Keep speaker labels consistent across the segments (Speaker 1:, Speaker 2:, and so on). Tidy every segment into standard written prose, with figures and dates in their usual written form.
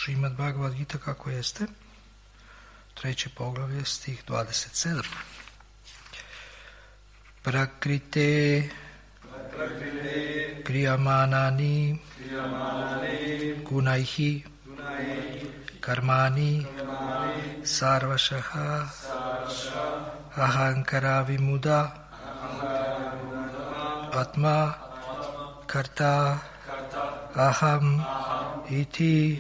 Speaker 1: Šrimad Bhagavad Gita kako jeste, 3. poglavlje, stih 27. Prakrite kriyamanani gunaihi karmani sarvashaha ahankara vimuda atma karta aham iti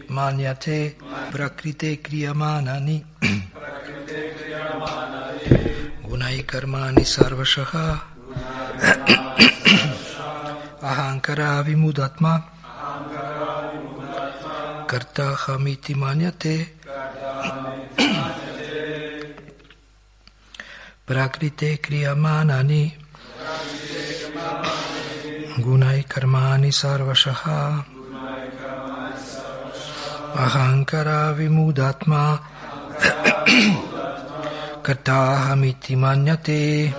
Speaker 1: manyate prakrite kriyamanani gunai karmani sarvashaha ahankara vimudatma karta aham iti manyate prakrite kriyamanani gunai karmani sarvashaha ahankara vimudatma kartahamiti manyate.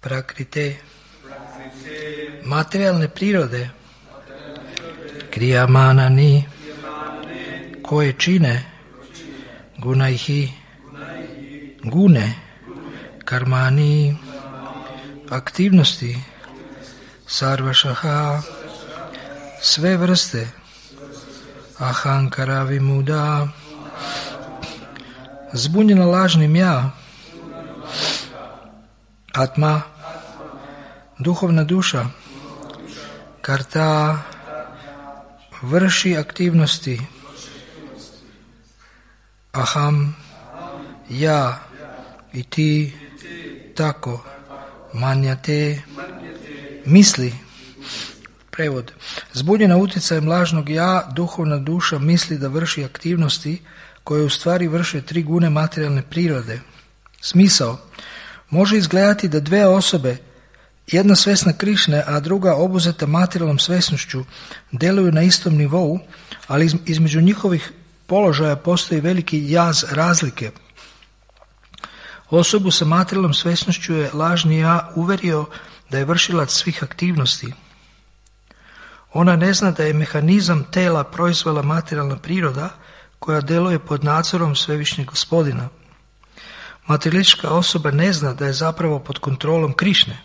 Speaker 1: Prakrite, materijalne prirode, kriyamanani, koje čine, gunaihi, gune, karmani, aktivnosti, sarvašaha, sve vrste, ahankara vimuda, zbunjena lažnim ja, atma, duhovna duša, karta, vrši aktivnosti, aham, ja i ti, tako, manjate, misli. Prevod. Zbunjena utjecajem lažnog ja, duhovna duša misli da vrši aktivnosti koje u stvari vrše 3 gune materijalne prirode. Smisao. Može izgledati da dve osobe, jedna svesna Krišne, a druga obuzeta materijalnom svesnošću, deluju na istom nivou, ali između njihovih položaja postoji veliki jaz razlike. Osobu sa materijalnom svesnošću je lažni ja uverio da je vršilac svih aktivnosti. Ona ne zna da je mehanizam tela proizvela materijalna priroda koja deluje pod nadzorom Svevišnjeg Gospodina. Materijalistička osoba ne zna da je zapravo pod kontrolom Krišne.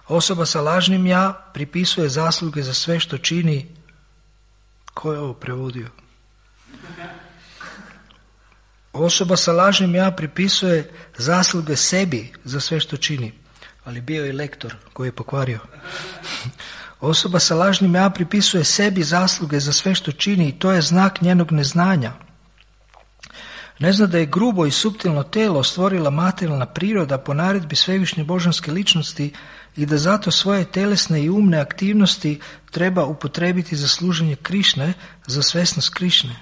Speaker 1: Osoba sa lažnim ja pripisuje zasluge za sve što čini. Ko je ovo prevodio? Osoba sa lažnim ja pripisuje zasluge sebi za sve što čini, ali bio je lektor koji je pokvario. Osoba sa lažnim ja pripisuje sebi zasluge za sve što čini i to je znak njenog neznanja. Ne zna da je grubo i suptilno telo stvorila materijalna priroda po naredbi svevišnje božanske ličnosti i da zato svoje telesne i umne aktivnosti treba upotrebiti za služenje Krišne, za svesnost Krišne.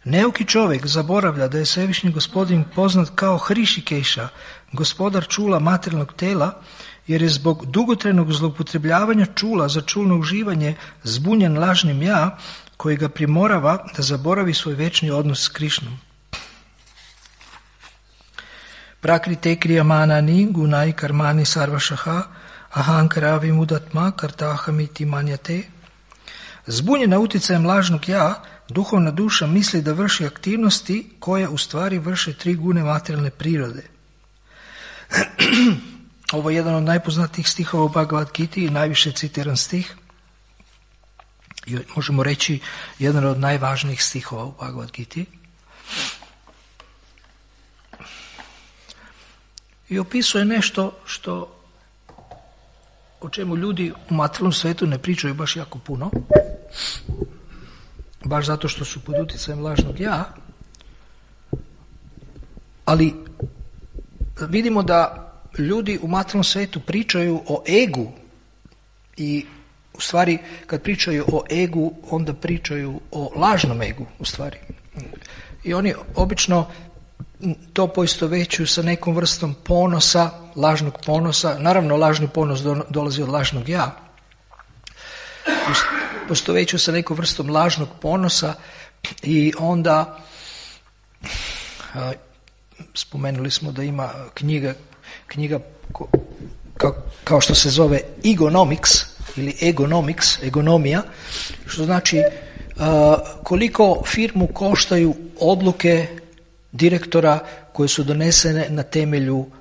Speaker 1: Neuki čovjek zaboravlja da je Svevišnji Gospodin poznat kao Hrišikeša, gospodar čula materijalnog tela, jer je zbog dugotrajnog zloupotrebljavanja čula za čulno uživanje zbunjen lažnim ja, koji ga primorava da zaboravi svoj večni odnos s Krišnom. Prakrite kriyamanani gunai karmani sarvašaha ahankara vimudatma kartahamiti manyate. Zbunjena utjecajem lažnog ja, duhovna duša misli da vrši aktivnosti koje u stvari vrše 3 gune materijalne prirode. Ovo je jedan od najpoznatijih stihova u Bhagavad Giti i najviše citiran stih. I možemo reći jedan od najvažnijih stihova u Bhagavad Giti. I opisuje nešto o čemu ljudi u materijalnom svetu ne pričaju baš jako puno. Baš zato što su pod utjecajem lažnog ja. Ali vidimo da ljudi u materijalnom svijetu pričaju o egu i u stvari kad pričaju o egu onda pričaju o lažnom egu u stvari. I oni obično to poistovjećuju sa nekom vrstom ponosa, lažnog ponosa. Naravno lažni ponos dolazi od lažnog ja. Poistovjećuju sa nekom vrstom lažnog ponosa i onda spomenuli smo da ima knjiga kao što se zove Egonomics, ili egonomija, što znači koliko firmu koštaju odluke direktora koje su donesene na temelju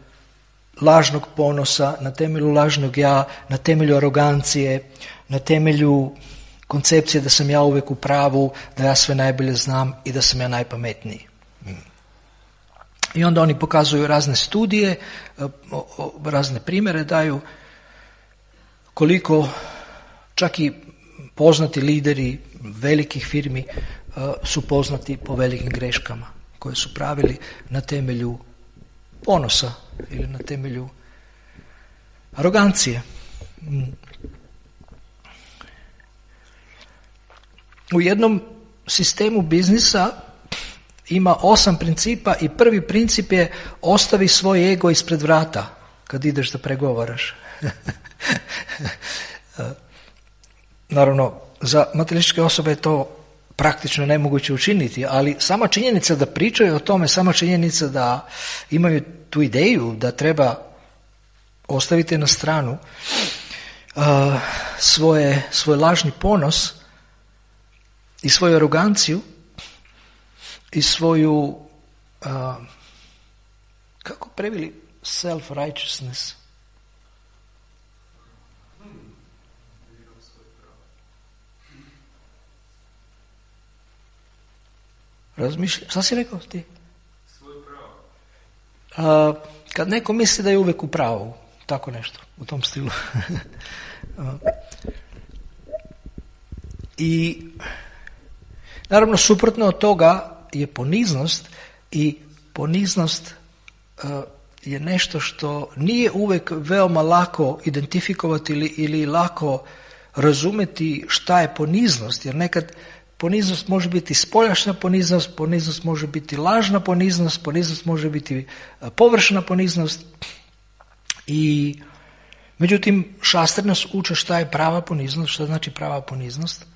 Speaker 1: lažnog ponosa, na temelju lažnog ja, na temelju arogancije, na temelju koncepcije da sam ja uvijek u pravu, da ja sve najbolje znam i da sam ja najpametniji. I onda oni pokazuju razne studije, razne primjere daju koliko čak i poznati lideri velikih firmi su poznati po velikim greškama koje su pravili na temelju ponosa ili na temelju arogancije. U jednom sistemu biznisa ima 8 principa i prvi princip je ostavi svoj ego ispred vrata kad ideš da pregovaraš. Naravno, za materijalističke osobe je to praktično nemoguće učiniti, ali sama činjenica da pričaju o tome, sama činjenica da imaju tu ideju da treba ostaviti na stranu svoj lažni ponos i svoju aroganciju i svoju, kako preveli self-righteousness? Razmišljam, šta si rekao ti?
Speaker 2: Svoj pravo.
Speaker 1: Kad neko misli da je uvijek u pravu, tako nešto, u tom stilu. I naravno suprotno od toga je poniznost i poniznost je nešto što nije uvijek veoma lako identifikovati ili lako razumjeti šta je poniznost, jer nekad poniznost može biti spoljašnja poniznost može biti lažna poniznost može biti površna poniznost i međutim šastre nas uče šta je prava poniznost, šta znači prava poniznost.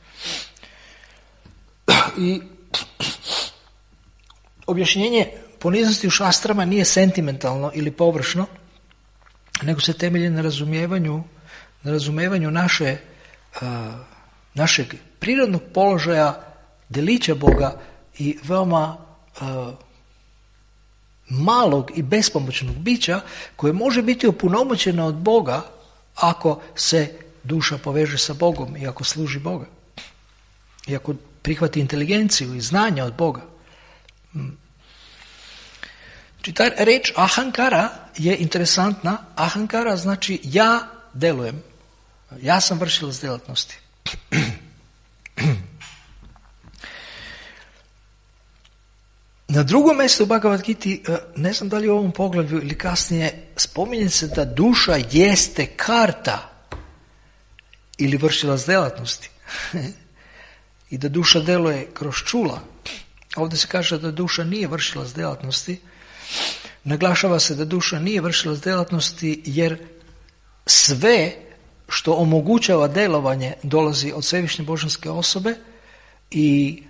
Speaker 1: I objašnjenje poniznosti u šastrama nije sentimentalno ili površno, nego se temelji na razumijevanju našeg prirodnog položaja, delića Boga i veoma malog i bespomoćnog bića koje može biti opunomoćeno od Boga ako se duša poveže sa Bogom i ako služi Boga. I ako prihvati inteligenciju i znanja od Boga. Znači ta reč ahankara je interesantna. Ahankara znači ja delujem. Ja sam vršilac djelatnosti. Na drugom mjestu u Bhagavad Giti, ne znam da li u ovom poglavlju ili kasnije, spominje se da duša jeste karta ili vršilac djelatnosti. I da duša deluje kroz čula. Ovdje se kaže da duša nije vršilac djelatnosti. Naglašava se da duša nije vršilac djelatnosti jer sve što omogućava djelovanje dolazi od svevišnje božanske osobe i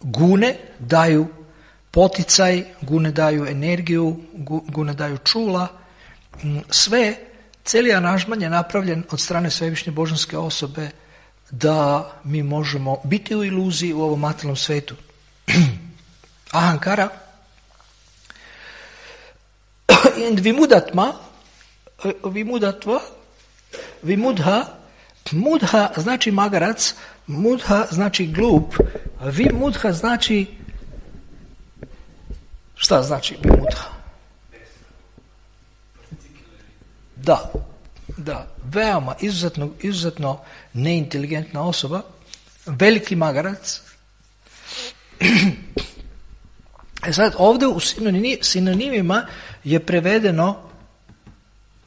Speaker 1: gune daju poticaj, gune daju energiju, gune daju čula. Sve, cijeli aranžman je napravljen od strane svevišnje božanske osobe da mi možemo biti u iluziji u ovom materijalnom svetu. Ahankara and vimudha znači magarac, mudha znači glup, vimudha znači, šta znači vimudha? Da, veoma, izuzetno neinteligentna osoba, veliki magarac. Sad ovdje u sinonimima je prevedeno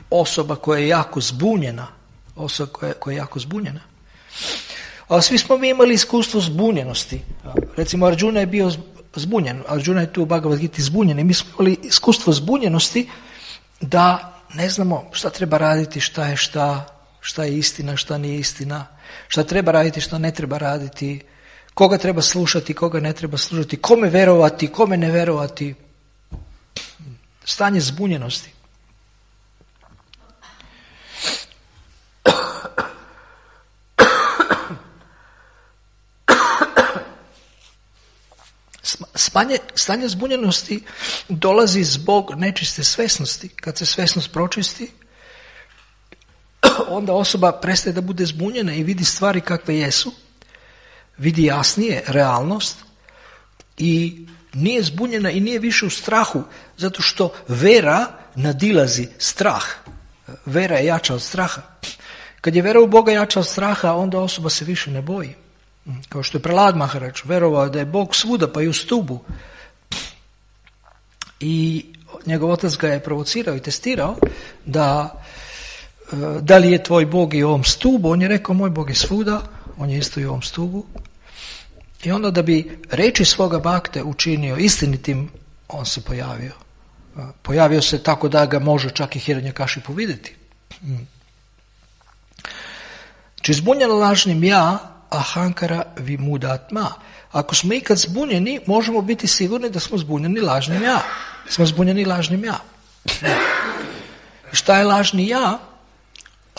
Speaker 1: osoba koja je jako zbunjena. A svi smo mi imali iskustvo zbunjenosti. Recimo Arjuna je bio zbunjen. Arjuna je tu u Bhagavad Giti zbunjen. I mi smo imali iskustvo zbunjenosti da ne znamo šta treba raditi, šta je istina, šta nije istina, šta treba raditi, šta ne treba raditi, koga treba slušati, koga ne treba slušati, kome verovati, kome ne verovati. Stanje zbunjenosti. Stanje zbunjenosti dolazi zbog nečiste svesnosti. Kad se svesnost pročisti, onda osoba prestaje da bude zbunjena i vidi stvari kakve jesu, vidi jasnije realnost i nije zbunjena i nije više u strahu, zato što vera nadilazi strah. Vera je jača od straha. Kad je vera u Boga jača od straha, onda osoba se više ne boji. Kao što je Prahlad Maharaj verovao da je Bog svuda, pa i u stubu. I njegov otac ga je provocirao i testirao da li je tvoj Bog i u ovom stubu. On je rekao, moj Bog je svuda, on je isto i u ovom stubu. I onda da bi reči svoga bakte učinio istinitim, on se pojavio. Pojavio se tako da ga može čak i Hiranyakashipu vidjeti. Znači zbunjeno lažnim ja, ahankara vimudatma. Ako smo ikad zbunjeni, možemo biti sigurni da smo zbunjeni lažnim ja. Smo zbunjeni lažnim ja. Šta je lažni ja?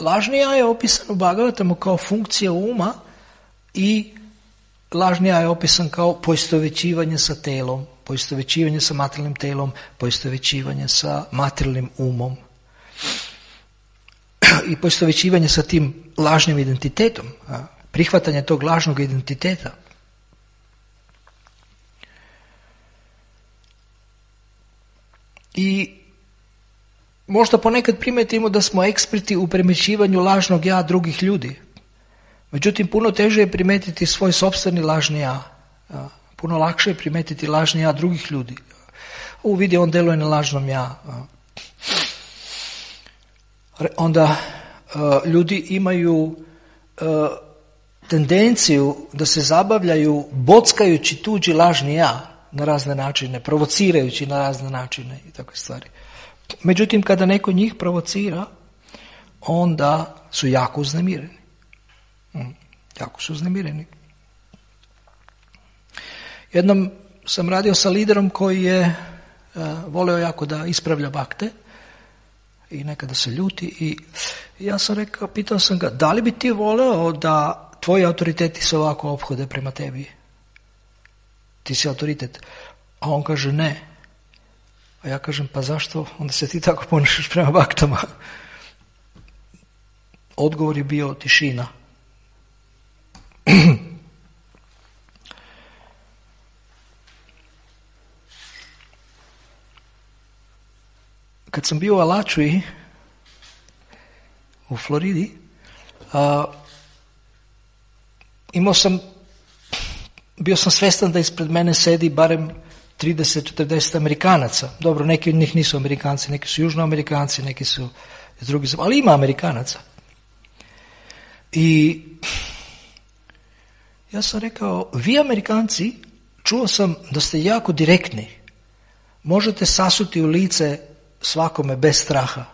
Speaker 1: Lažni ja je opisan u Bhagavatamu kao funkcija uma i lažni ja je opisan kao poistovjećivanje sa telom, poistovjećivanje sa materijalnim telom, poistovjećivanje sa materijalnim umom i poistovjećivanje sa tim lažnim identitetom, prihvatanje tog lažnog identiteta. I možda ponekad primetimo da smo eksperti u premjećivanju lažnog ja drugih ljudi. Međutim, puno teže je primetiti svoj sopstveni lažni ja. Puno lakše je primetiti lažni ja drugih ljudi. Vidi, on deluje na lažnom ja. Onda ljudi imaju tendenciju da se zabavljaju bockajući tuđi lažni ja na razne načine, provocirajući na razne načine i takve stvari. Međutim, kada neko njih provocira, onda su jako uznemireni. Jako su uznemireni. Jednom sam radio sa liderom koji je voleo jako da ispravlja bakte i nekada se ljuti i ja sam rekao, pitao sam ga, da li bi ti voleo da tvoji autoriteti se ovako ophode prema tebi? Ti si autoritet. A on kaže ne. A ja kažem, pa zašto onda se ti tako ponašaš prema baktama? Odgovor je bio tišina. Kad sam bio u Alachui u Floridi, bio sam svjestan da ispred mene sedi barem 30-40 Amerikanaca. Dobro, neki od njih nisu Amerikanci, neki su Južnoamerikanci, neki su iz drugih, ali ima Amerikanaca. I ja sam rekao, vi Amerikanci, čuo sam da ste jako direktni. Možete sasuti u lice svakome bez straha.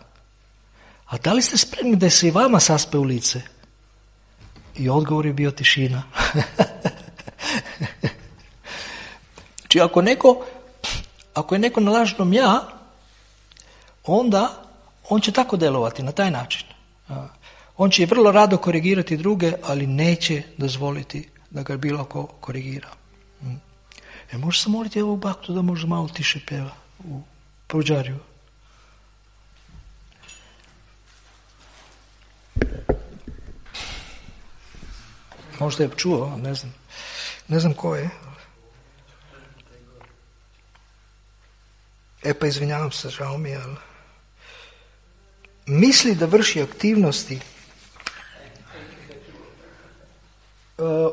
Speaker 1: A da li ste spremni da se i vama saspe u lice? I odgovor je bio tišina. Znači ako je neko na lažnom ja, onda on će tako delovati na taj način. On će vrlo rado korigirati druge, ali neće dozvoliti da ga bilo ko korigira. Može se moliti ovog baktu da možda malo tiše pjeva u Pruđariju. Možda je čuo, ne znam. Ne znam ko je. Pa izvinjavam se, žao mi je, ali misli da vrši aktivnosti.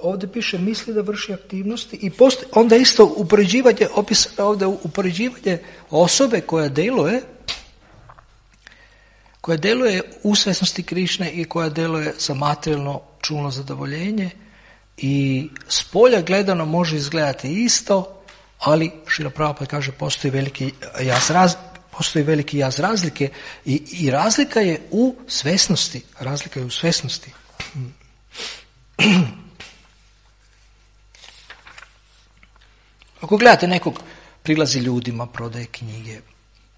Speaker 1: Ovdje piše misli da vrši aktivnosti i onda isto upoređivanje, opisano ovdje upoređivanje osobe koja deluje u svjesnosti Krišne i koja deluje za materijalno čulno zadovoljenje i s polja gledano može izgledati isto, ali Šrila Prabhupada kaže postoji veliki jaz razlike i razlika je u svjesnosti. Razlika je u svjesnosti. Ako gledate nekog, prilazi ljudima, prodaje knjige,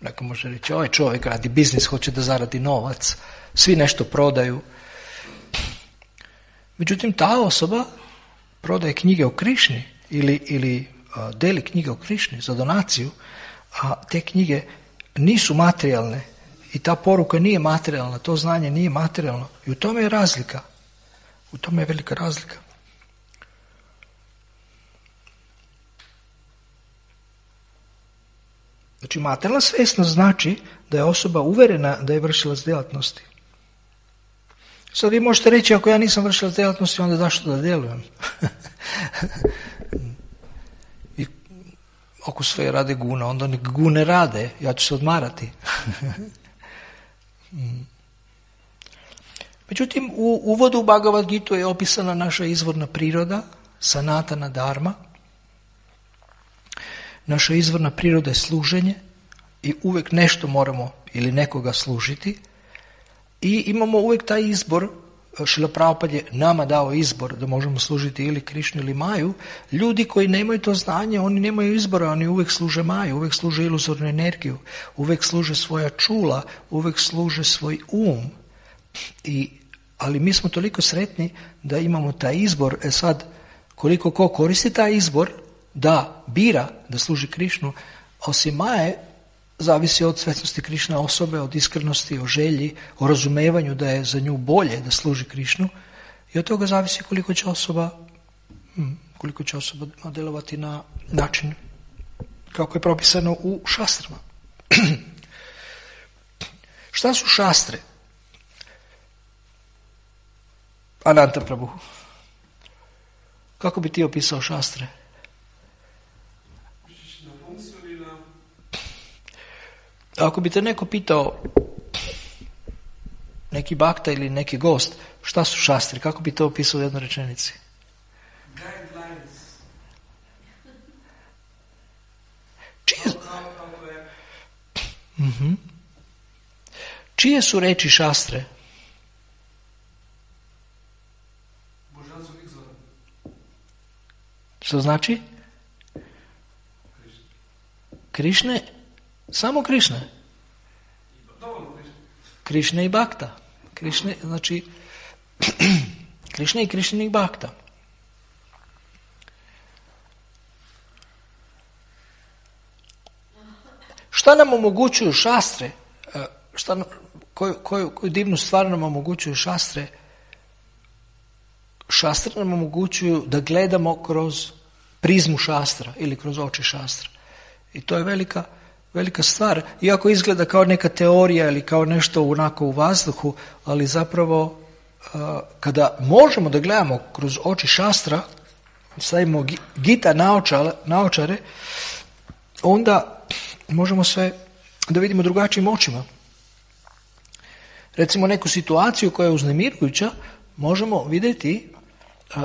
Speaker 1: neko može reći, ovaj čovjek radi biznis, hoće da zaradi novac, svi nešto prodaju. Međutim, ta osoba prodaje knjige o Krišni ili deli knjige o Krišni za donaciju, a te knjige nisu materijalne i ta poruka nije materijalna, to znanje nije materijalno. I u tome je razlika. U tome je velika razlika. Znači, materijalna svjesnost znači da je osoba uverena da je vršilac djelatnosti. Sad vi možete reći, ako ja nisam vršilac djelatnosti, onda zašto da djelujem? I ako sve rade guna, onda nek gune rade, ja ću se odmarati. Međutim, u uvodu u Bhagavad Gitu je opisana naša izvorna priroda, sanatana dharma. Naša izvorna priroda je služenje i uvijek nešto moramo ili nekoga služiti. I imamo uvijek taj izbor, Šrila Prabhupada je nama dao izbor da možemo služiti ili Krišnu ili Maju. Ljudi koji nemaju to znanje, oni nemaju izbora, oni uvijek služe Maju, uvijek služe iluzornu energiju, uvijek služe svoja čula, uvijek služe svoj um. Ali mi smo toliko sretni da imamo taj izbor. Sad, koliko ko koristi taj izbor, da bira da služi Krišnu, osim Maje, zavisi od svjesnosti Krišne osobe, od iskrenosti, o želji, o razumevanju da je za nju bolje da služi Krišnu, i od toga zavisi koliko će osoba djelovati na način kako je propisano u šastrama. Šta su šastre? Ananta Prabhu, kako bi ti opisao šastre? Ako bi te neko pitao, neki bakta ili neki gost, šta su šastri, kako bi to opisao u jednoj rečenici? Čije su reči šastre? Što znači? Krišne? Samo Krišne. Krišne i Bakta. Krišne, znači, Krišne i Krišnih Bakta. Šta nam omogućuju šastre? Koju divnu stvar nam omogućuju šastre? Šastre nam omogućuju da gledamo kroz prizmu šastra ili kroz oči šastra. I to je velika stvar. Iako izgleda kao neka teorija ili kao nešto onako u vazduhu, ali zapravo kada možemo da gledamo kroz oči šastra, stavimo Gita naočare, onda možemo sve da vidimo drugačijim očima. Recimo neku situaciju koja je uznemirujuća možemo vidjeti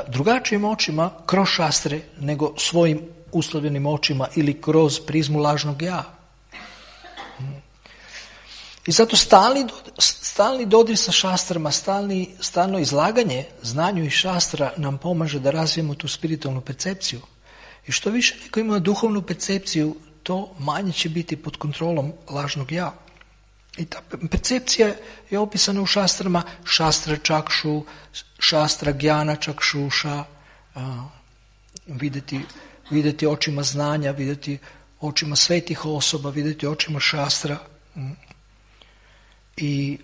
Speaker 1: drugačijim očima kroz šastre nego svojim uslovljenim očima ili kroz prizmu lažnog ja. I zato stalni dodir sa šastrama, stalno izlaganje znanju i šastra nam pomaže da razvijemo tu spiritualnu percepciju. I što više neko ima duhovnu percepciju, to manje će biti pod kontrolom lažnog ja. I ta percepcija je opisana u šastrama, šastra čakšu, šastra gjana čakšuša, vidjeti očima znanja, vidjeti očima svetih osoba, vidjeti očima šastra. I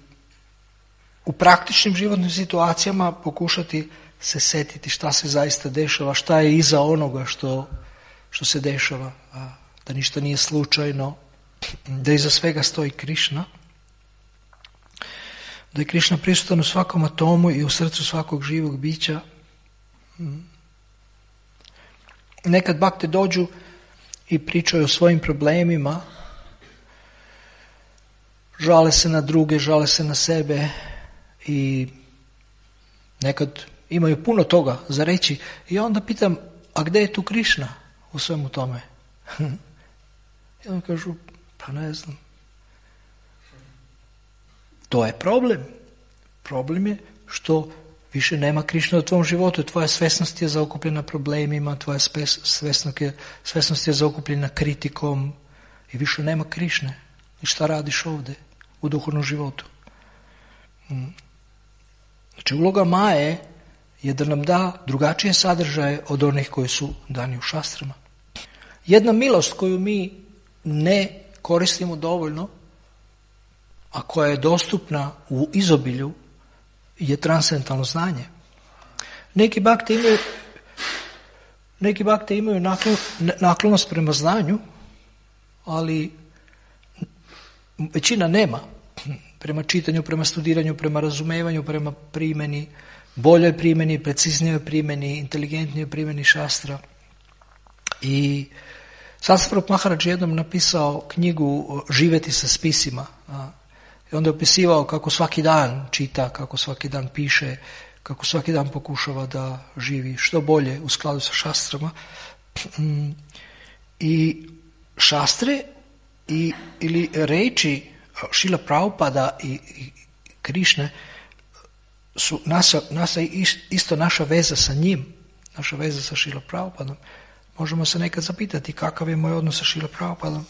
Speaker 1: u praktičnim životnim situacijama pokušati se setiti šta se zaista dešava, šta je iza onoga što se dešava, da ništa nije slučajno, da iza svega stoji Krišna, da je Krišna prisutan u svakom atomu i u srcu svakog živog bića. Nekad bakte dođu i pričaju o svojim problemima, žale se na druge, žale se na sebe i nekad imaju puno toga za reći. I onda pitam, a gdje je tu Krišna u svemu tome? I onda kažu, pa ne znam. To je problem. Problem je što više nema Krišne u tvom životu. Tvoja svesnost je zaokupljena problemima, tvoja svesnost je zaokupljena kritikom i više nema Krišne. I šta radiš ovdje u duhovnom životu? Znači, uloga Maje je da nam da drugačije sadržaje od onih koji su dani u šastrama. Jedna milost koju mi ne koristimo dovoljno, a koja je dostupna u izobilju, je transcendentalno znanje. Neki bakte imaju naklonost prema znanju, ali većina nema. Prema čitanju, prema studiranju, prema razumevanju, prema primjeni, boljoj primjeni, preciznijoj primjeni, inteligentnijoj primjeni šastra. I Satsvarup Maharaj jednom napisao knjigu Živjeti sa spisima. I onda je opisivao kako svaki dan čita, kako svaki dan piše, kako svaki dan pokušava da živi što bolje u skladu sa šastrama. I šastre ili reči Šrila Prabhupada i Krišne su isto naša veza sa njim, naša veza sa Šrila Prabhupadom. Možemo se nekad zapitati kakav je moj odnos sa Šrila Prabhupadom.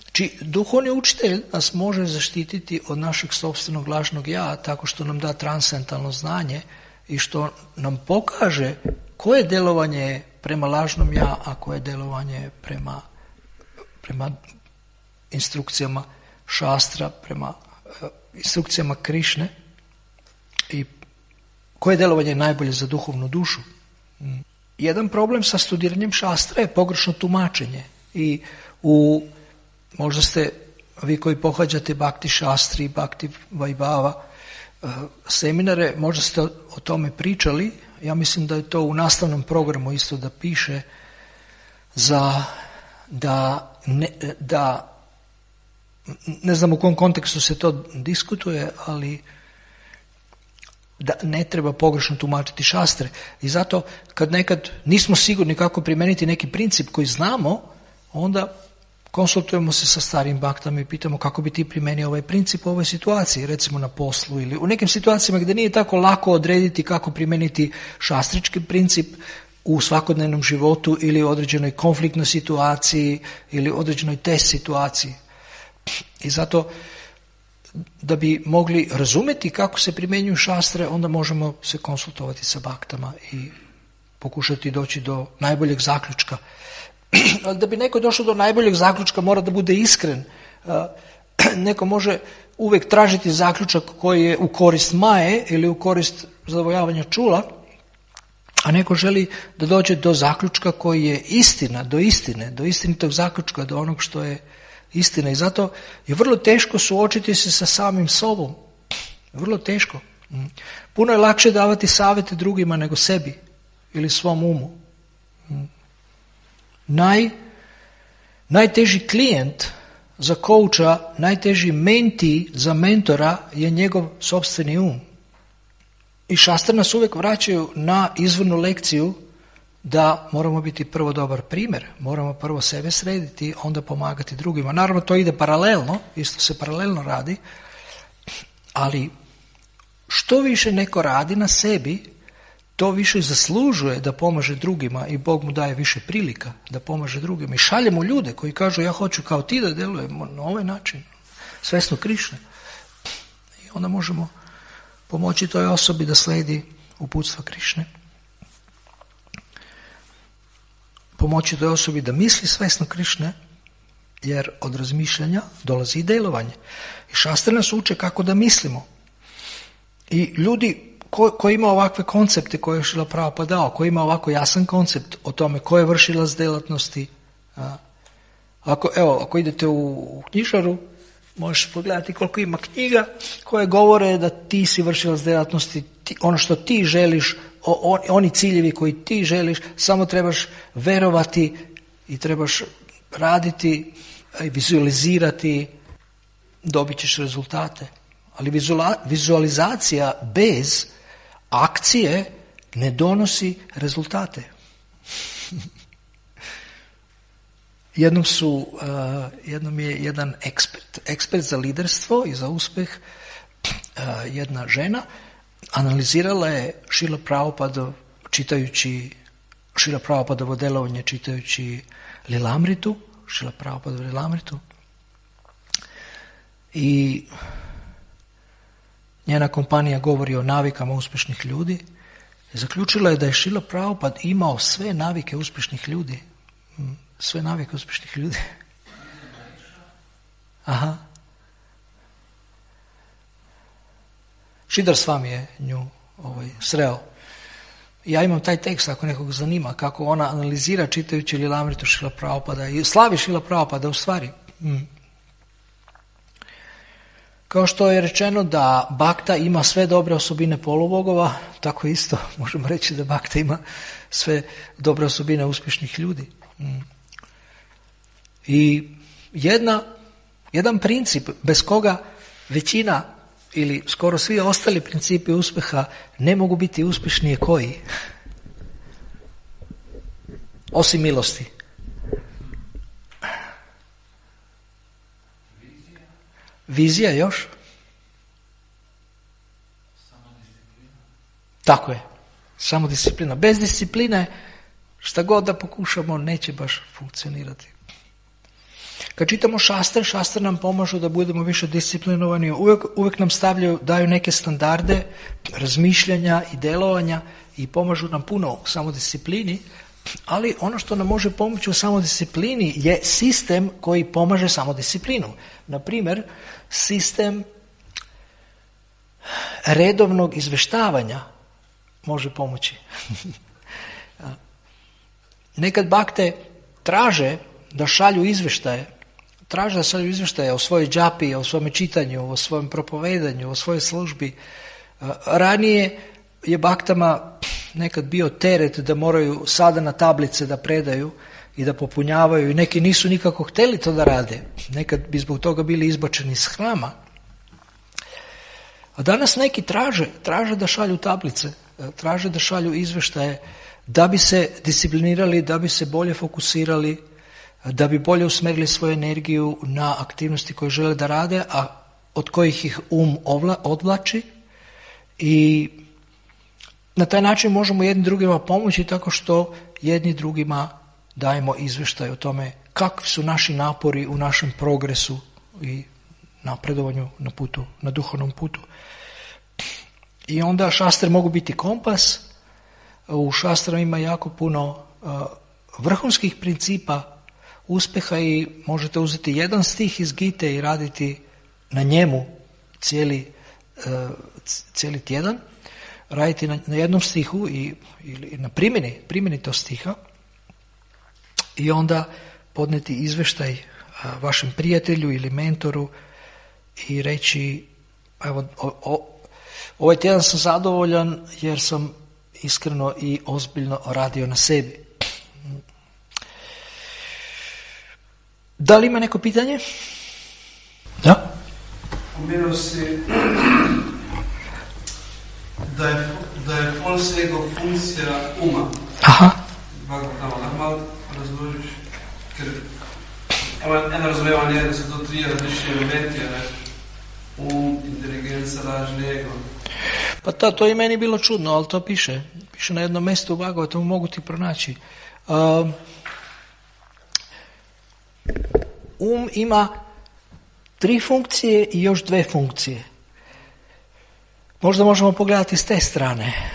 Speaker 1: Znači, duhovni učitelj nas može zaštititi od našeg sopstvenog lažnog ja tako što nam da transcendentalno znanje i što nam pokaže koje djelovanje prema lažnom ja, a koje djelovanje prema instrukcijama šastra, prema instrukcijama Krišne i koje djelovanje je najbolje za duhovnu dušu. Jedan problem sa studiranjem šastra je pogrešno tumačenje i možda ste vi koji pohađate Bhakti Šastri, Bhakti Vaibhava seminare, možda ste o tome pričali. Ja mislim da je to u nastavnom programu isto da piše da ne znam u kom kontekstu se to diskutuje, ali da ne treba pogrešno tumačiti šastre. I zato kad nekad nismo sigurni kako primijeniti neki princip koji znamo, onda konsultujemo se sa starim baktama i pitamo kako bi ti primijenio ovaj princip u ovoj situaciji, recimo na poslu ili u nekim situacijama gdje nije tako lako odrediti kako primijeniti šastrički princip u svakodnevnom životu ili određenoj konfliktnoj situaciji ili određenoj test situaciji. I zato da bi mogli razumjeti kako se primjenjuju šastre, onda možemo se konsultovati sa baktama i pokušati doći do najboljeg zaključka. Ali da bi neko došao do najboljeg zaključka mora da bude iskren. Neko može uvijek tražiti zaključak koji je u korist maje ili u korist zadovoljavanja čula, a neko želi da dođe do zaključka koji je istina, do istinitog zaključka, do onog što je istina. I zato je vrlo teško suočiti se sa samim sobom. Vrlo teško. Puno je lakše davati savjete drugima nego sebi ili svom umu. Najteži klijent za kouča, najteži menti za mentora je njegov sopstveni um. I šastre nas uvijek vraćaju na izvornu lekciju da moramo biti prvo dobar primjer, moramo prvo sebe srediti, onda pomagati drugima. Naravno to ide paralelno, isto se paralelno radi, ali što više neko radi na sebi, to više zaslužuje da pomaže drugima i Bog mu daje više prilika da pomaže drugima. I šaljemo ljude koji kažu ja hoću kao ti da djelujemo na ovaj način, svesno Krišne. I onda možemo pomoći toj osobi da slijedi uputstva Krišne. Pomoći toj osobi da misli svesno Krišne, jer od razmišljanja dolazi i djelovanje. I šastre nas uče kako da mislimo. I ljudi koji ima ovakve koncepte koje je Šrila Prabhupada dao, koji ima ovako jasan koncept o tome ko je vršilac djelatnosti. Ako idete u knjižaru, možeš pogledati koliko ima knjiga koje govore da ti si vršilac djelatnosti, ono što ti želiš, oni ciljevi koji ti želiš, samo trebaš verovati i trebaš raditi i vizualizirati, dobit ćeš rezultate. Ali vizualizacija bez akcije ne donosi rezultate. Jednom je jedan ekspert za liderstvo i za uspjeh, jedna žena, analizirala je Šrila Prabhupada čitajući Šrila Prabhupadovo djelovanje, čitajući Lilamritu, Šrila Prabhupadovu Lilamritu. I njena kompanija govori o navikama uspješnih ljudi. Zaključila je da je Šrila Prabhupada imao sve navike uspješnih ljudi. Sve navike uspješnih ljudi. Aha. Šidar s vami je nju sreo. Ja imam taj tekst, ako nekog zanima, kako ona analizira čitajući Lilamritu Šrila Prabhupada i slavi Šrila Prabhupada u stvari. Kao što je rečeno da Bhakta ima sve dobre osobine polubogova, tako isto možemo reći da Bhakta ima sve dobre osobine uspješnih ljudi. I jedan princip bez koga većina ili skoro svi ostali principi uspjeha ne mogu biti uspješni je koji? Osim milosti. Vizija još? Tako je. Samo disciplina. Bez discipline šta god da pokušamo neće baš funkcionirati. Kad čitamo šastre nam pomažu da budemo više disciplinovani, uvijek nam daju neke standarde razmišljanja i djelovanja i pomažu nam puno u samodisciplini, ali ono što nam može pomoći u samodisciplini je sistem koji pomaže samodisciplinu. Na primjer, sistem redovnog izvještavanja može pomoći. Nekad bakte traže da šalju izvještaje o svojoj džapi, o svome čitanju, o svojem propovedanju, o svojoj službi. Ranije je baktama nekad bio teret da moraju sada na tablice da predaju i da popunjavaju i neki nisu nikako htjeli to da rade. Nekad bi zbog toga bili izbačeni iz hrama. A danas neki traže da šalju tablice, traže da šalju izvještaje da bi se disciplinirali, da bi se bolje fokusirali, da bi bolje usmjerili svoju energiju na aktivnosti koje žele da rade, a od kojih ih odvlači, i na taj način možemo jedni drugima pomoći tako što jedni drugima dajemo izvještaj o tome kakvi su naši napori u našem progresu i napredovanju na putu, na duhovnom putu. I onda šastre mogu biti kompas. U šastrama ima jako puno vrhunskih principa uspjeha i možete uzeti jedan stih iz Gite i raditi na njemu cijeli tjedan, raditi na jednom stihu ili na primjeni tog stiha i onda podneti izvještaj vašem prijatelju ili mentoru i reći evo, ovaj tjedan sam zadovoljan jer sam iskreno i ozbiljno radio na sebi. Da li ima neko pitanje? Da?
Speaker 3: Pomenuo si da je false ego funkcija uma.
Speaker 1: Aha.
Speaker 3: Lahko malo razložiš? Ker eno razumevanje je, da so to tri različni elementi, inteligenca, lažni ego.
Speaker 1: Pa to je meni bilo čudno, ali to piše na jednom mjestu u Bhagavatu, mogu ti pronaći. Ima 3 funkcije i još 2 funkcije. Možda možemo pogledati s te strane.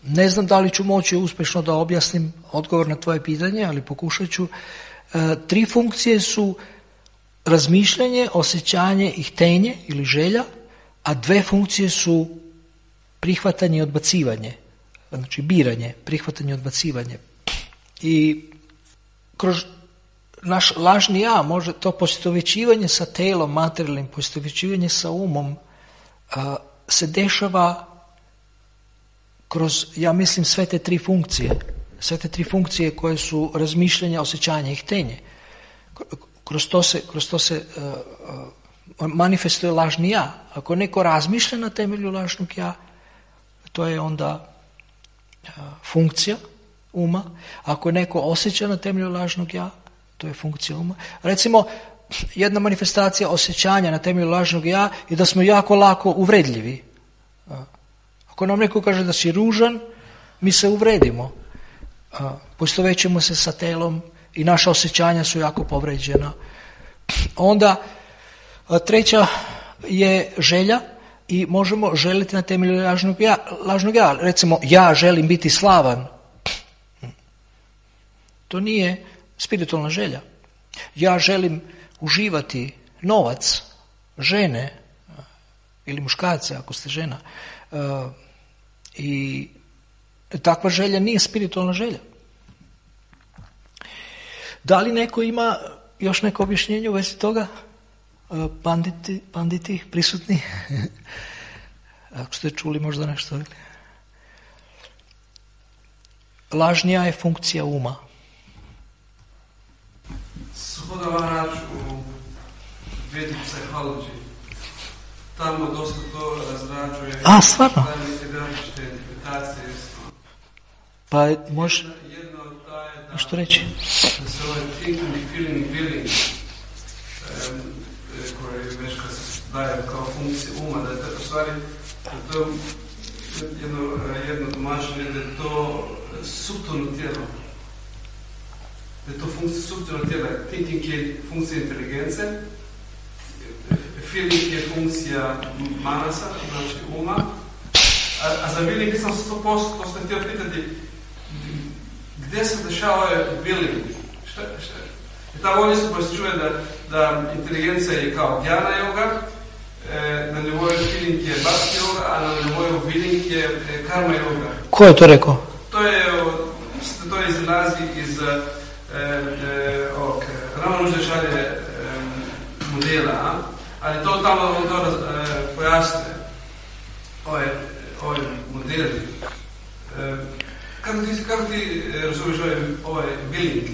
Speaker 1: Ne znam da li ću moći uspješno da objasnim odgovor na tvoje pitanje, ali pokušat ću. 3 funkcije su razmišljanje, osjećanje i htenje ili želja, a 2 funkcije su prihvatanje i odbacivanje. Znači biranje, prihvatanje i odbacivanje. I kroz naš lažni ja može to poistovjećivanje sa telom, materijalnim, poistovjećivanje sa umom se dešava kroz, ja mislim, sve te 3 funkcije. Sve te 3 funkcije koje su razmišljanje, osjećanje i htenje. Kroz to se manifestuje lažni ja. Ako neko razmišlja na temelju lažnog ja, to je onda funkcija uma. Ako neko osjeća na temelju lažnog ja, to je funkcija uma. Recimo, jedna manifestacija osjećanja na temelju lažnog ja je da smo jako lako uvredljivi. Ako nam neko kaže da si ružan, mi se uvredimo. Poistovećemo se sa telom i naša osjećanja su jako povređena. Onda treća je želja i možemo želiti na temelju lažnog ja. Recimo, ja želim biti slavan. To nije spiritualna želja. Ja želim uživati novac žene ili muškarce ako ste žena i takva želja nije spiritualna želja. Da li neko ima još neko objašnjenje u vezi toga? Panditi prisutni? Ako ste čuli možda nešto. Lažni ja je funkcija uma.
Speaker 3: Shodno vam naći u Vedic Psychology. Tamo dosta to razrađuje.
Speaker 1: Stvarno?
Speaker 3: Različite interpretacije.
Speaker 1: Pa može
Speaker 3: Jedno od taj
Speaker 1: što reći?
Speaker 3: Da se ovaj thinking, feeling, willing koji već kad se daje kao funkcija uma, da je to u stvari to jedno tumačenje da je to suptilno tijelo. Da je to funkcija suptilno tijela. Thinking je funkcija inteligence, feeling je funkcija manasa, znači uma, a za willing nisam 100%, to sam htio pitati, gdje se dešava willing? Šta? Tamo ovdje se čuje da inteligencija je kao dhyana yoga, na nivoju feeling je bhakti yoga, a na nivoju willing je karma yoga.
Speaker 1: Ko je to rekao?
Speaker 3: To izlazi iz Ramanujačarje modela, ali to tamo pojasne ovaj modeli. Kako ti razumiješ ovaj willing?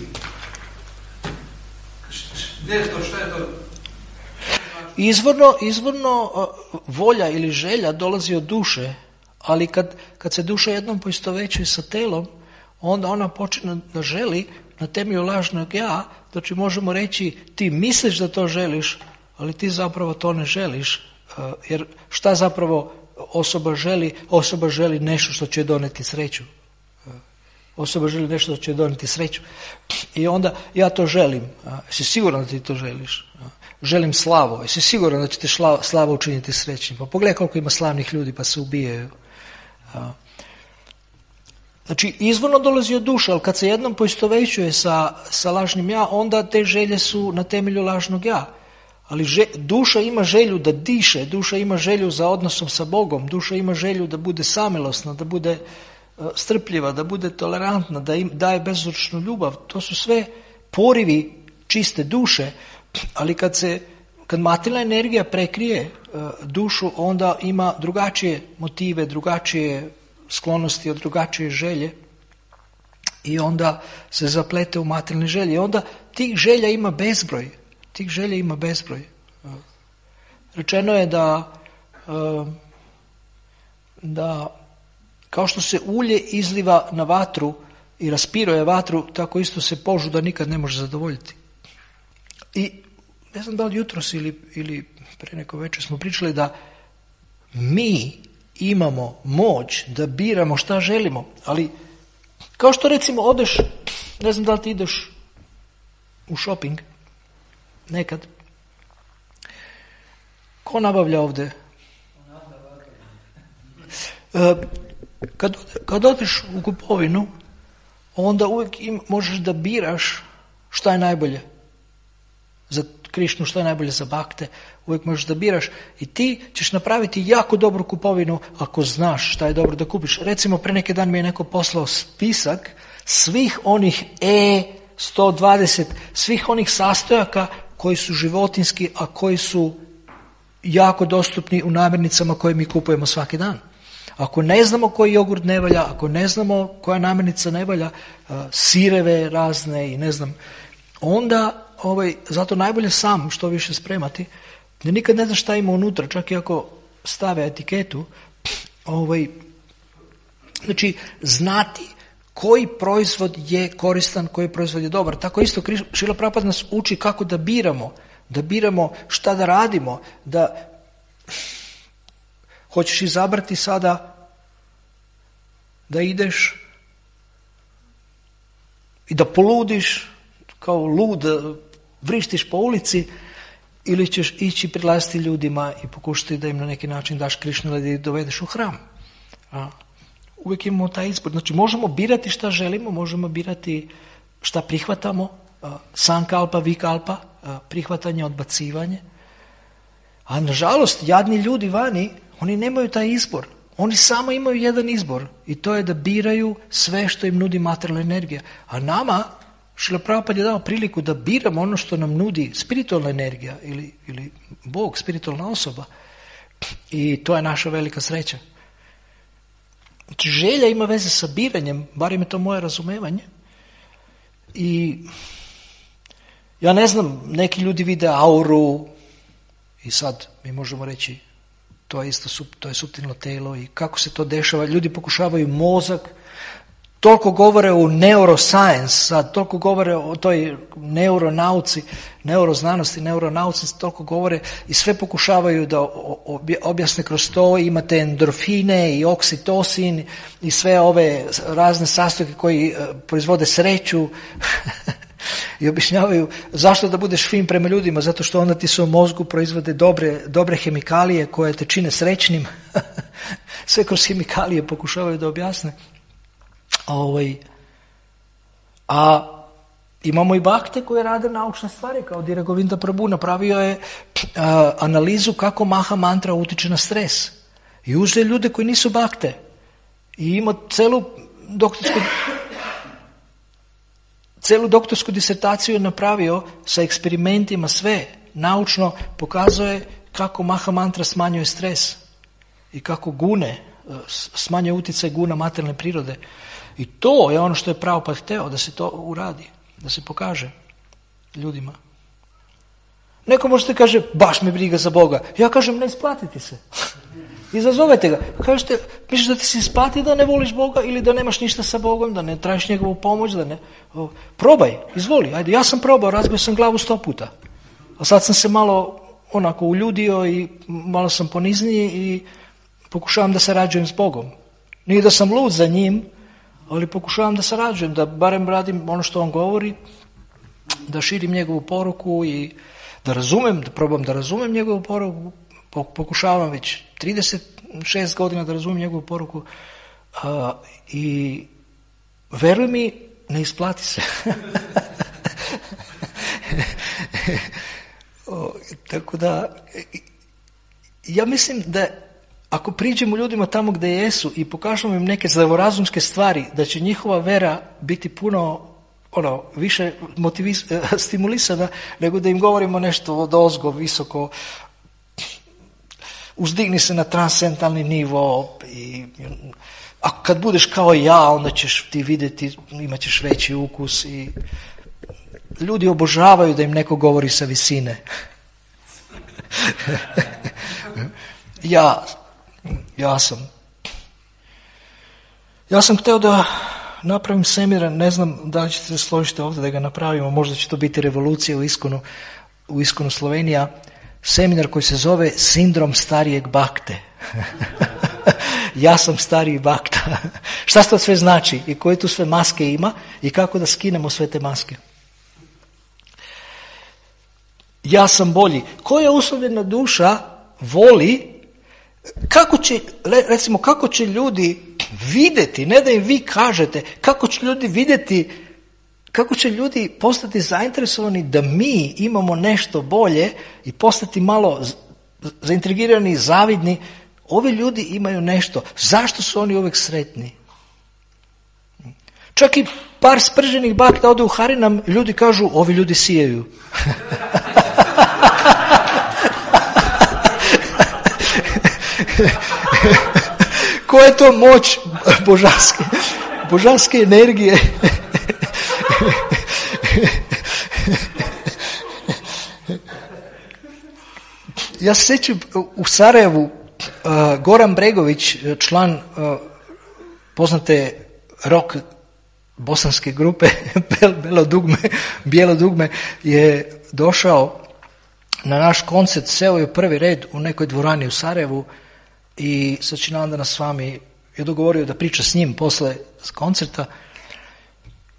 Speaker 3: Gdje je to? Šta je to?
Speaker 1: Izvorno volja ili želja dolazi od duše, ali kad se duša jednom poistovećuje sa telom, onda ona počne da želi na temelju lažnog ja, znači možemo reći ti misliš da to želiš, ali ti zapravo to ne želiš, jer šta zapravo osoba želi? Osoba želi nešto što će doneti sreću. Osoba želi nešto što će doneti sreću. I onda ja to želim. Jesi siguran da ti to želiš? Želim slavu. Jesi siguran da će ti slava učiniti srećnim? Pa pogledaj koliko ima slavnih ljudi pa se ubijaju. Znači, izvorno dolazi od duše, ali kad se jednom poistovećuje sa lažnim ja, onda te želje su na temelju lažnog ja. Ali duša ima želju da diše, duša ima želju za odnosom sa Bogom, duša ima želju da bude samilosna, da bude strpljiva, da bude tolerantna, da im daje bezuzročnu ljubav. To su sve porivi čiste duše, ali kad materijalna energija prekrije dušu, onda ima drugačije motive, drugačije sklonosti, drugačije želje i onda se zaplete u materijalne želje. I onda tih želja ima bezbroj. Rečeno je da kao što se ulje izliva na vatru i raspiruje vatru, tako isto se požuda nikad ne može zadovoljiti. I ne znam da li jutros ili pre neko večer smo pričali da mi imamo moć da biramo šta želimo, ali kao što recimo odeš, ne znam da li ti ideš u shopping nekad, ko nabavlja ovdje? Kad odeš u kupovinu, onda uvijek možeš da biraš šta je najbolje za Krišnu, šta je najbolje za bakte, uvijek možeš da biraš i ti ćeš napraviti jako dobru kupovinu ako znaš šta je dobro da kupiš. Recimo, pre neki dan mi je neko poslao spisak svih onih 120, svih onih sastojaka koji su životinski, a koji su jako dostupni u namirnicama koje mi kupujemo svaki dan. Ako ne znamo koji jogurt ne valja, ako ne znamo koja namirnica ne valja, sireve razne i ne znam, onda zato najbolje sam što više spremati, jer nikad ne znaš šta ima unutra, čak i ako stave etiketu, znači znati koji proizvod je koristan, koji proizvod je dobar. Tako isto Šrila Prabhupada nas uči kako da biramo šta da radimo, da hoćeš izabrati sada da ideš i da poludiš kao lud, vrištiš po ulici, ili ćeš ići prilaziti ljudima i pokušati da im na neki način daš Krišnu ili da ih dovedeš u hram. Uvijek imamo taj izbor. Znači možemo birati šta želimo, možemo birati šta prihvatamo, sankalpa, vikalpa, prihvatanje, odbacivanje. A nažalost, jadni ljudi vani, oni nemaju taj izbor. Oni samo imaju jedan izbor i to je da biraju sve što im nudi materijalna energija. A nama, Šrila Prabhupada je dao priliku da biramo ono što nam nudi spiritualna energija ili Bog, spiritualna osoba. I to je naša velika sreća. Znači, želja ima veze sa biranjem, barem je to moje razumevanje. I ja ne znam, neki ljudi vide auru i sad mi možemo reći to je isto, to je suptilno telo i kako se to dešava. Ljudi pokušavaju mozak, toliko govore o neuroscience, sad toliko govore o toj neuronauci, neuroznanosti, neuronauci, toliko govore i sve pokušavaju da objasne kroz to. Imate endorfine i oksitosin i sve ove razne sastojke koji proizvode sreću i objašnjavaju zašto da budeš fin prema ljudima, zato što onda ti se u mozgu proizvode dobre hemikalije koje te čine srećnim. Sve kroz hemikalije pokušavaju da objasne. A imamo i bakte koje rade naučne stvari, kao Dhira Govinda Prabhu napravio je analizu kako Maha mantra utiče na stres. I uzeo ljude koji nisu bakte. I imao celu doktorsku disertaciju je napravio sa eksperimentima, sve naučno pokazuje kako Maha mantra smanjuje stres i kako gune, smanjuje utjecaj guna materijalne prirode. I to je ono što je Prabhupada hteo, da se to uradi, da se pokaže ljudima. Neko možete kaže, baš me briga za Boga. Ja kažem, ne isplatiti se. Izazovete ga. Kažete, misliš da ti se isplati da ne voliš Boga ili da nemaš ništa sa Bogom, da ne tražiš njegovu pomoć, da ne... Probaj, izvoli, ajde. Ja sam probao, razbio sam glavu 100 puta. A sad sam se malo onako uljudio i malo sam ponizniji i pokušavam da sarađujem s Bogom. Nije da sam lud za njim, ali pokušavam da sarađujem, da barem radim ono što on govori, da širim njegovu poruku i da razumem, da probam da razumem njegovu poruku. Pokušavam već 36 godina da razumijem njegovu poruku i veruj mi, ne isplati se. Tako da, ja mislim da ako priđemo ljudima tamo gdje jesu i pokažemo im neke zdravorazumske stvari, da će njihova vera biti puno više stimulisana nego da im govorimo nešto odozgo, visoko, uzdigni se na transcendentalni nivo a kad budeš kao ja, onda ćeš ti vidjeti, imat ćeš veći ukus i ljudi obožavaju da im neko govori sa visine. Ja sam htio da napravim semir, ne znam da li ćete se složiti ovdje da ga napravimo, možda će to biti revolucija u Iskonu Slovenija, seminar koji se zove Sindrom starijeg bakte. Ja sam stariji bakta. Šta to sve znači i koje tu sve maske ima i kako da skinemo sve te maske. Ja sam bolji. Koja uslovljena duša voli, kako će ljudi vidjeti, ne da im vi kažete, kako će ljudi vidjeti, kako će ljudi postati zainteresovani da mi imamo nešto bolje i postati malo zaintrigirani i zavidni. Ovi ljudi imaju nešto. Zašto su oni uvijek sretni? Čak i par sprženih bakta ode u Harinam, ljudi kažu, ovi ljudi sijaju. Koja je to moć božanske energije? Ja se sjećam u Sarajevu, Goran Bregović, član poznate rock bosanske grupe Bijelo dugme, je došao na naš koncert, seo je u prvi red u nekoj dvorani u Sarajevu i Sačinandana s vami je dogovorio da priča s njim posle koncerta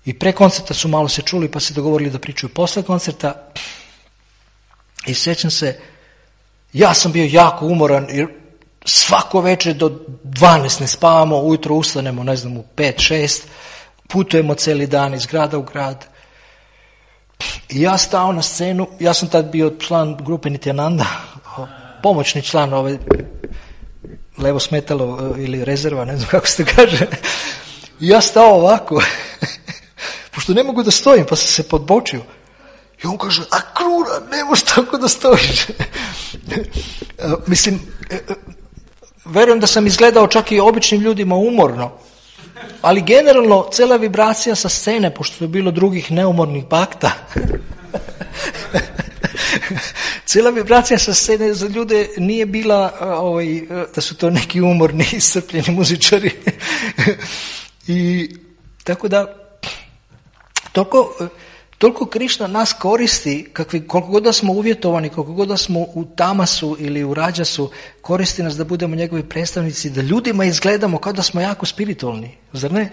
Speaker 1: i pre koncerta su malo se čuli pa se dogovorili da pričaju posle koncerta i sjećam se, ja sam bio jako umoran jer svako večer do 12 ne spavamo, ujutro ustanemo, ne znam, u 5-6, putujemo cijeli dan iz grada u grad I ja stao na scenu, ja sam tad bio član grupe Nityananda, pomoćni član ove levo smetalo ili rezerva, ne znam kako se kaže. I ja stao ovako, pošto ne mogu da stojim, pa sam se podbočio. I on kaže, a Krura, ne možeš tako da stojiš. Mislim, verujem da sam izgledao čak i običnim ljudima umorno, ali generalno cela vibracija sa scene, pošto je bilo drugih neumornih bakta, cela vibracija sa scene za ljude nije bila da su to neki umorni, iscrpljeni muzičari. I tako da toliko Krišna nas koristi, koliko god da smo uvjetovani, koliko god da smo u tamasu ili u rađasu, koristi nas da budemo njegovi predstavnici, da ljudima izgledamo kao da smo jako spiritualni, zar ne?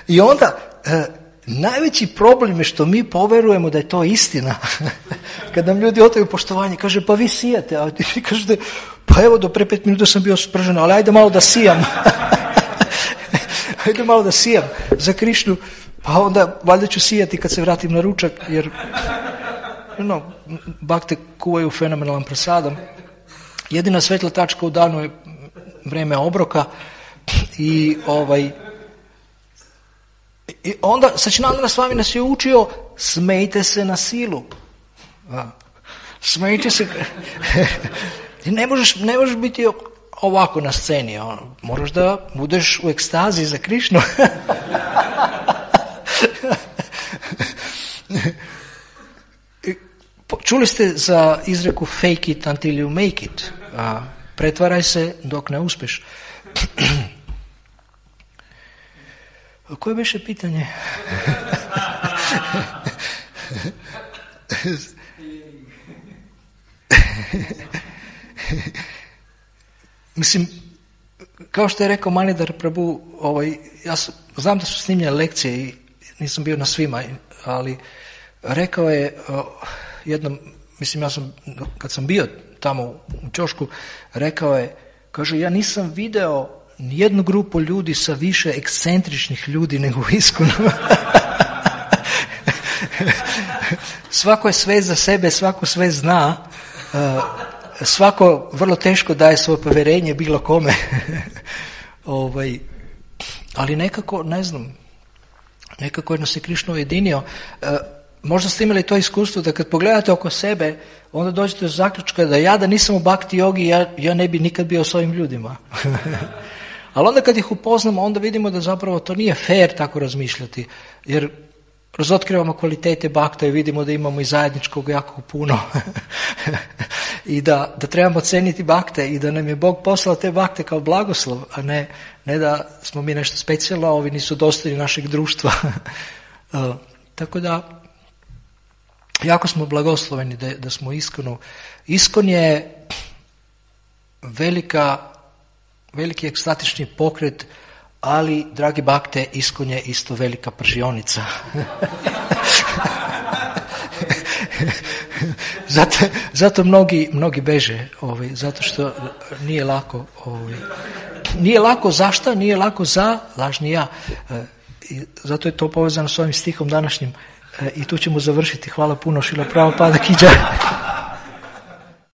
Speaker 1: I onda najveći problem je što mi poverujemo da je to istina. Kad nam ljudi otaju poštovanje, kaže, pa vi sijate, a vi kažete, pa evo do pre 5 minuta sam bio spržen, ali ajde malo da sijam. Ajde malo da sijam za Krišnu, pa onda valjda ću sijati kad se vratim na ručak, jer bakte kuvaju fenomenalan prasadam. Jedina svetla tačka u danu je vreme obroka i onda Sačinandana Svami nas je učio, smejte se na silu. Smejte se. Ne možeš biti ovako na sceni, moraš da budeš u ekstazi za Krišnu. Čuli ste za izreku fake it until you make it. Pretvaraj se dok ne uspeš. Koje beše pitanje? Mislim, kao što je rekao Manidhar Prabhu, ja znam da su snimljene lekcije i nisam bio na svima, ali rekao je jednom, mislim, kad sam bio tamo u ćošku, rekao je, kaže, ja nisam video nijednu grupu ljudi sa više ekscentričnih ljudi nego u ISKCON-u. Svako je sve za sebe, svako sve zna, svako vrlo teško daje svoje povjerenje bilo kome. Ali nekako, ne znam, nekako jedno se Krišna ujedinio. Možda ste imali to iskustvo da kad pogledate oko sebe, onda dođete do zaključka da nisam u bhakti jogi, ja ne bi nikad bio s ovim ljudima. Ali onda kad ih upoznamo, onda vidimo da zapravo to nije fair tako razmišljati, jer razotkrivamo kvalitete bhakta i vidimo da imamo i zajedničkog jako puno. I da trebamo ceniti bhakte i da nam je Bog poslao te bhakte kao blagoslov, a ne da smo mi nešto specijalno, a ovi nisu dostojni našeg društva. Tako da, jako smo blagosloveni da smo u ISKCON-u. ISKCON je veliki ekstatični pokret, ali, dragi bakte, ISKCON je isto velika pržionica. Zato mnogi beže, zato što nije lako. Nije lako zašto? Nije lako za lažni ja. Zato je to povezano s ovim stihom današnjim. I tu ćemo završiti. Hvala puno, Šrila Prabhupada ki džaj.